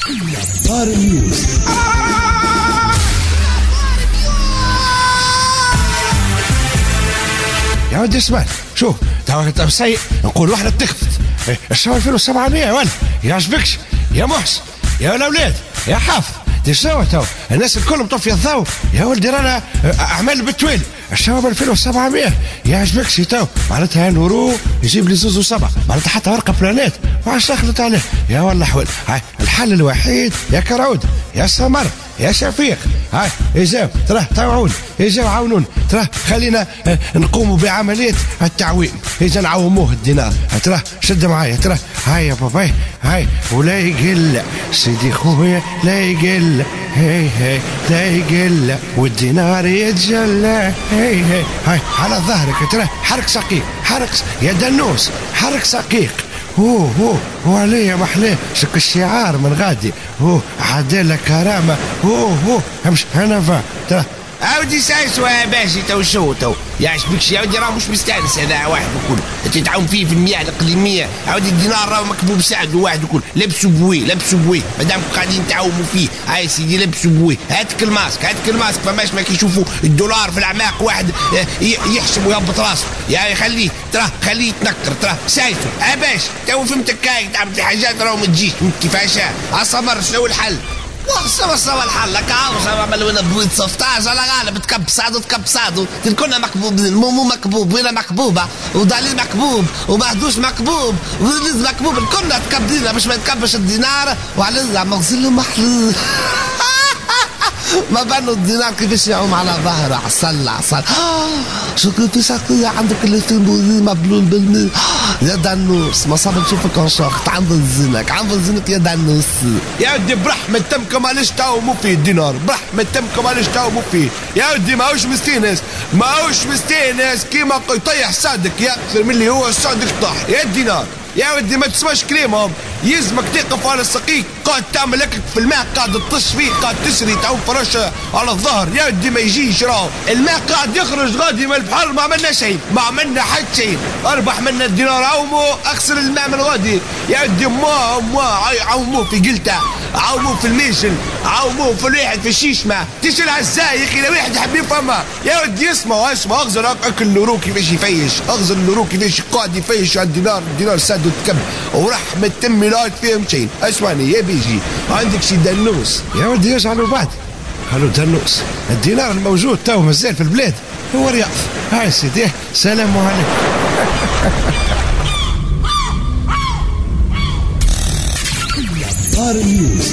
اخبار نيوز. يا ودي اسمع، شوف تو سيء نقول واحدة تخفت الشهر 2700 ولا يعجبكش يا محسن يا الاولاد يا حافظ دي شنو تو الناس الكل مطفيه الضوء يا ولدي، رانا اعمال بالتوالي الشباب 2700 يعجبكش تو معناتها نورو يجيب لي زوز وسبعة معناتها حتى ورقة بلانات ما عادش دخلت عليه يا والله حول. هاي الحل الوحيد يا كرعود يا سمر يا شفيق، هاي اجاو تراه تعاون، اجاو عاونون تراه خلينا نقوموا بعملية التعويم، اجا نعوموه الدينار تراه شد معايا تراه هاي يا باباي هاي ولا يقل سيدي خويا لا يقل هاي هاي لا يقل والدينار يتجلى هاي هاي هاي على ظهرك تراه حرك سقيق حرك يا دنوس حرك سقيق هو هو هو عليا محلاه شك الشعار من غادي هو عدالة كرامة هو هو همش أنا فا ترى عاودي سايسوا يا باشي تو شو تو يعجبكش يا ودي راه مش مستانس هذا واحد وكل انت تعاون فيه في المياه الاقليمية عاودي الدينار راه مكبوب سعد واحد وكل لبسوا بوي لبسوا بوي مادام قاعدين تعاوموا فيه هاي سيدي لبسوا بوي هاتك الماسك هاتك الماسك فماش ما كيشوفوا الدولار في الاعماق واحد يحشم ويهبط راسه يعني خليه تراه خليه يتنكر تراه سايسو يا باش تو فهمتك كاي تعمل حاجات راه ما تجيش كيفاش عصمر شنو الحل؟ وصل صل الحل لك عاوز عمل وين بويت 16 على غالب تكب سعدو تكب سعدو كنا مكبوبين مومو مكبوب وينا مكبوبه ودليل مكبوب ومهدوش مكبوب وليز مكبوب كنا تكبدينا باش ما يتكبش الدينار وعلى مغسل محلول ما بانوا الدينار كيفاش يعوم على ظهره عسل عسل شو كيفاش عندك اللي مبلول بالماء يا دنوس ما صاب نشوفك انشاخ عند زينك عند زينك يا دنوس يا ودي برحمة تمكم علاش تعوموا فيه الدينار برحمة تمكم علاش تعوموا فيه يا ودي ماهوش مستانس ماهوش مستانس كيما يطيح سعدك يا اكثر من اللي هو سعدك طاح يا الدينار يا ودي ما تسمعش كلامهم يلزمك تقف على السقيق قاعد تعمل لك في الماء قاعد تطش فيه قاعد تسري تعوم فرشه على الظهر يا ودي ما يجيش راهو الماء قاعد يخرج غادي من البحر ما عملنا شيء ما عملنا حتى شيء اربح منا الدينار عومو اخسر الماء من غادي يا ودي ما عوموه في قلته عوموه في الميشل عوموه في الواحد في الشيشمه تشيلها ازاي يا اخي لو واحد يحب يفهمها يا ودي اسمع اسمع اغزر اكل النورو كيفاش يفيش اغزر النورو كيفاش قاعد يفيش على الدينار الدينار ساد وتكب ورحمة تمي لا فيهم شيء اسمعني يا بيجي عندك شي دنوس يا ودي يجعلوا بعد قالوا دنوس الدينار الموجود تو مازال في البلاد هو رياض هاي سيدي سلام عليكم. اخبار نيوز.